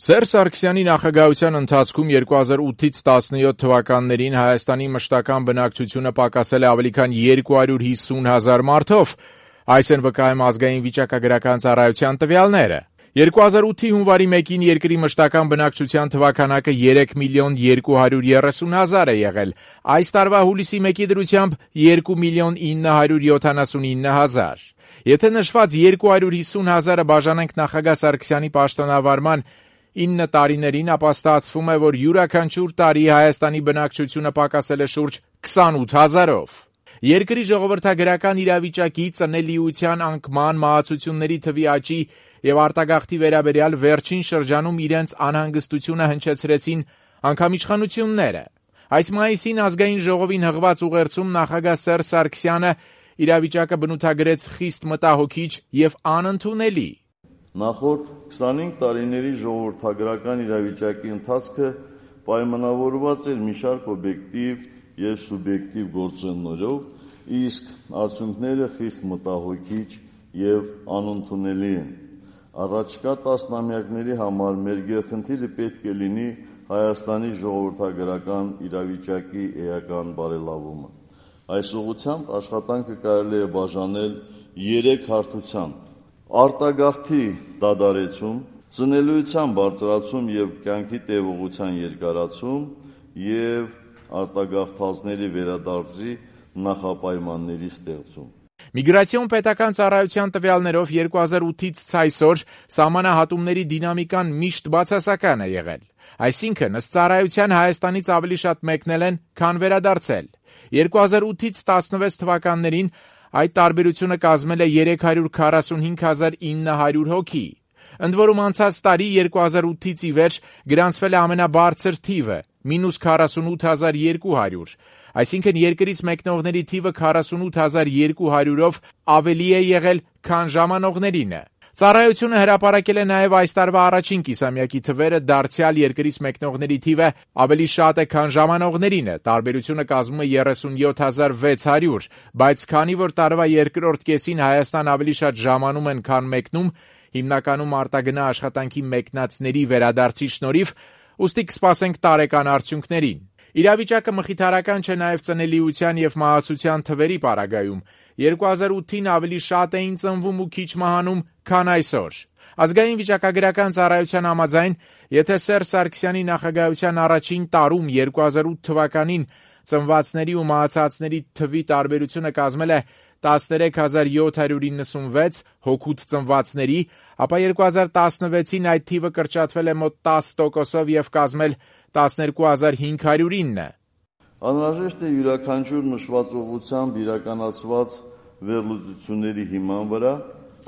Սերժ Սարգսյանի նախագահության ընթացքում 2008-ից 17 թվականներին Հայաստանի մշտական բնակչությունը պակասել է ավելի քան 250,000 մարդով, այս են վկայում ազգային վիճակագրական ծառայության տվյալները։ 2008-ի հունվարի 1-ին երկրի մշտական բնակչության թվականակը 3,230,000 է եղել, այս տարվա հուլիսի 1-ի դրությամբ 2,979,000։ Եթե նշված 250,000-ը բաժանենք նախագահ Սարգսյանի պաշտոնավարման 9 տարիներին, ապա ստացվում է, որ յուրաքանչյուր տարի Հայաստանի բնակչությունը պակասել է շուրջ 28,000-ով։ Երկրի ժողովրդագրական իրավիճակի, ծնելիության անկման, մահացությունների թվի աճի եւ արտագաղթի վերաբերյալ վերջին շրջանում իրենց անհանգստությունը հնչեցրեցին անգամ իշխանությունները։ Այս մայիսին ազգային ժողովին հղված ուղերձում նախագահ Սերժ Սարգսյանը իրավիճակը բնութագրեց խիստ մտահոգիչ եւ անընդունելի։ Նախորդ 25 տարիների ժողովրդագրական իրավիճակի ընթացքը պայմանավորված էր մի շարք օբյեկտիվ եւ սուբյեկտիվ գործոններով, իսկ արդյունքները խիստ մտահոգիչ եւ անընդունելի են։ Առաջկա տասնամյակների համար մեր գերխնդիրը պետք է լինի Հայաստանի ժողովրդագրական իրավիճակի էական բարելավումը։ Այս ուղղությամբ աշխատանքը կարելի է բաժանել 3 հարթությամբ. արտագաղթի դադարեցում, ծնելիության բարձրացում եւ կյանքի տևողության երկարացում եւ արտագաղթածների վերադարձի նախապայմանների ստեղծում։ Միգրացիոն պետական ծառայության տվյալներով 2008-ից այսօր սահմանահատումների դինամիկան միշտ բացասական է եղել։ Այսինքն, ըստ ծառայության Հայաստանից ավելի շատ մեկնել են, քան վերադարձել։ 2008-ից 16 թվականներին այդ տարբերությունը կազմել է 345,900 հոգի։ Ընդ որում անցած տարի 2008-ից ի վերջ գրանցվել է ամենաբարձր թիվը՝ -48,200, այսինքն երկրից մեկնողների թիվը 48,200-ով ավելի է եղել, քան ժամանողներինը։ Ծառայությունը հրապարակել է նաև այս տարվա առաջին կիսամյակի թվերը, դարձյալ երկրից մեկնողների թիվը ավելի շատ է, քան ժամանողներինը, տարբերությունը կազմում է 37,600, բայց քանի որ տարվա երկրորդ կեսին Հայաստան ավելի շատ ժամանում են, քան մեկնում, հիմնականում արտագնա աշխատանքի մեկնածների վերադարձի շնորհիվ, ուստի կսպասենք տարեկան արդյունքներին։ Իրավիճակը մխիթարական չէ նաև ծնելիության եւ մահացության թվերի պարագայում։ 2008-ին ավելի շատ էին ծնվում ու քիչ մահանում, քան այսօր։ Ազգային վիճակագրական ծառայության համաձայն, եթե Սերժ Սարգսյանի նախագահության առաջին տարում 2008 թվականին ծնվածների ու մահացածների թվի տարբերությունը կազմել է 13,796 հոգուտ ծնվածների, ապա 2016-ին այդ թիվը կրճատվել է մոտ 10%-ով եւ կազմել 12,509։ Անհրաժեշտ է յուրաքանչյուր նշված ուղղությամբ իրականացված վերլուծությունների հիման վրա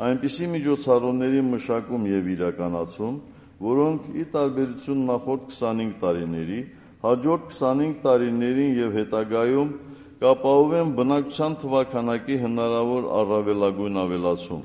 այնպիսի միջոցառումների մշակում եւ իրականացում, որոնք ի տարբերություն նախորդ 25 տարիների, հաջորդ 25 տարիներին եւ հետագայում կապահովեն բնակչության թվաքանակի հնարավոր առավելագույն ավելացում,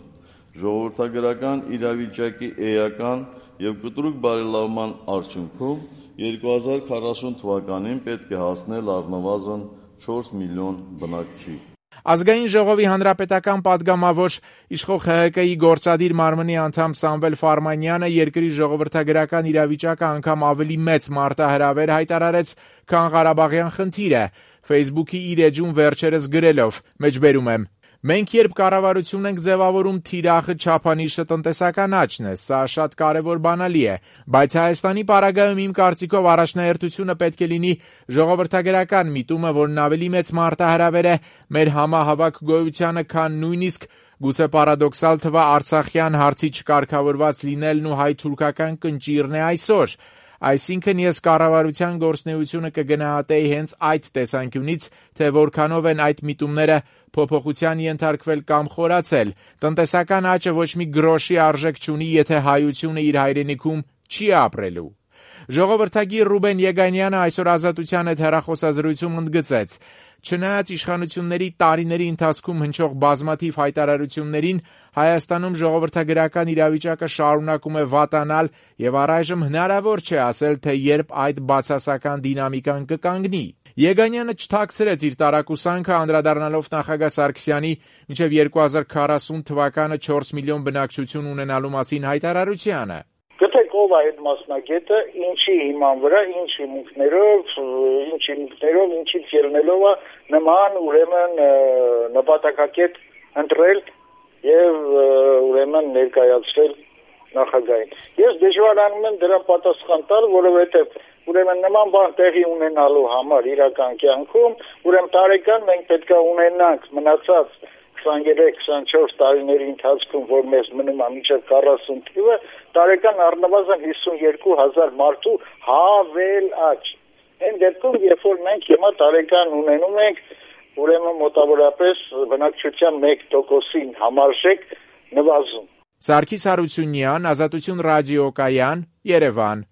ժողովրդագրական իրավիճակի էական եւ կտրուկ բարելավման արդյունքում 2040 թվականին պետք է հասնել առնվազն 4 միլիոն բնակչի։ Ազգային ժողովի հանրապետական падգամավոր իշխող ՀՀԿ-ի գործադիր մարմնի անդամ Սամվել Ֆարմանյանը երկրի ժողովրդագրական իրավիճակը անգամ ավելի մեծ մարտահրավեր հայտարարեց, քան Ղարաբաղյան խնդիրը, Facebook-ի իր էջում վերջերս գրելով, մեջբերում եմ. «Մենք երբ կառավարություն ենք ձևավորում, թիրախը չափանիշը տնտեսական աճն է, սա շատ կարևոր բանալի է, բայց Հայաստանի պարագայում իմ կարծիքով առաջնահերթությունը պետք է լինի ժողովրդագրական միտումը, որն ավելի մեծ մարտահրավեր է մեր համահավաք գոյությանը, քան նույնիսկ գուցե պարադոքսալ թվա Արցախյան հարցի չկարգավորված լինելն ու հայ-թուրքական կնճիռն է այսօր։ Այսինքն ես կառավարության գործունեությունը կգնահատեի հենց այդ տեսանկյունից, թե որքանով են այդ միտումները փոփոխության ենթարկվել կամ խորացել։ Տնտեսական աճը ոչ մի գրոշի արժեք չունի, եթե հայությունը իր հայրենիքում չի ապրելու»։ Ժողովրդագիր Ռուբեն Եգանյանը այսօր Ազատության հետ հեռախոսազրույցում ընդգծեց. «Չնայած իշխանությունների տարիների ընթացքում հնչող բազմաթիվ հայտարարություններին, Հայաստանում ժողովրդագրական իրավիճակը շարունակում է վատանալ եւ առայժմ հնարավոր չէ ասել, թե երբ այդ բացասական դինամիկան կկանգնի»։ Եգանյանը չթաքցրեց իր տարակուսանքը, անդրադառնալով նախագահ Սարգսյանի մինչև 2040 թվականը 4 միլիոն բնակչություն ունենալու մասին հայտարարությանը։ Գտեք ով է այդ մասնագետը, ինչի հիման վրա, ինչ հիմունքներով, ինչից ելնելով է նման ուրեմն նպատակակետ ընտրել եւ ուրեմն ներկայացրել նախագահին։ Ես դժվարանում եմ դրան պատասխան տալ, որովհետեւ ուրեմն նման բան տեղի ունենալու համար իրական կյանքում ուրեմն տարեկան մենք պետք է ունենանք մնացած 23-24 տարիների ընթացքում, որ մեզ մնում է մինչև 40 թիվը, տարեկան առնվազն 52,000 մարդու հավելաճ։ Այն դեպքում, երբ որ մենք հիմա տարեկան ունենում ենք, ուրեմն մոտավորապես բնակչության 1%-ին համարժեք նվազում։ Սարգիս Հարությունյան, Ազատություն ռադիոկայան, Երևան։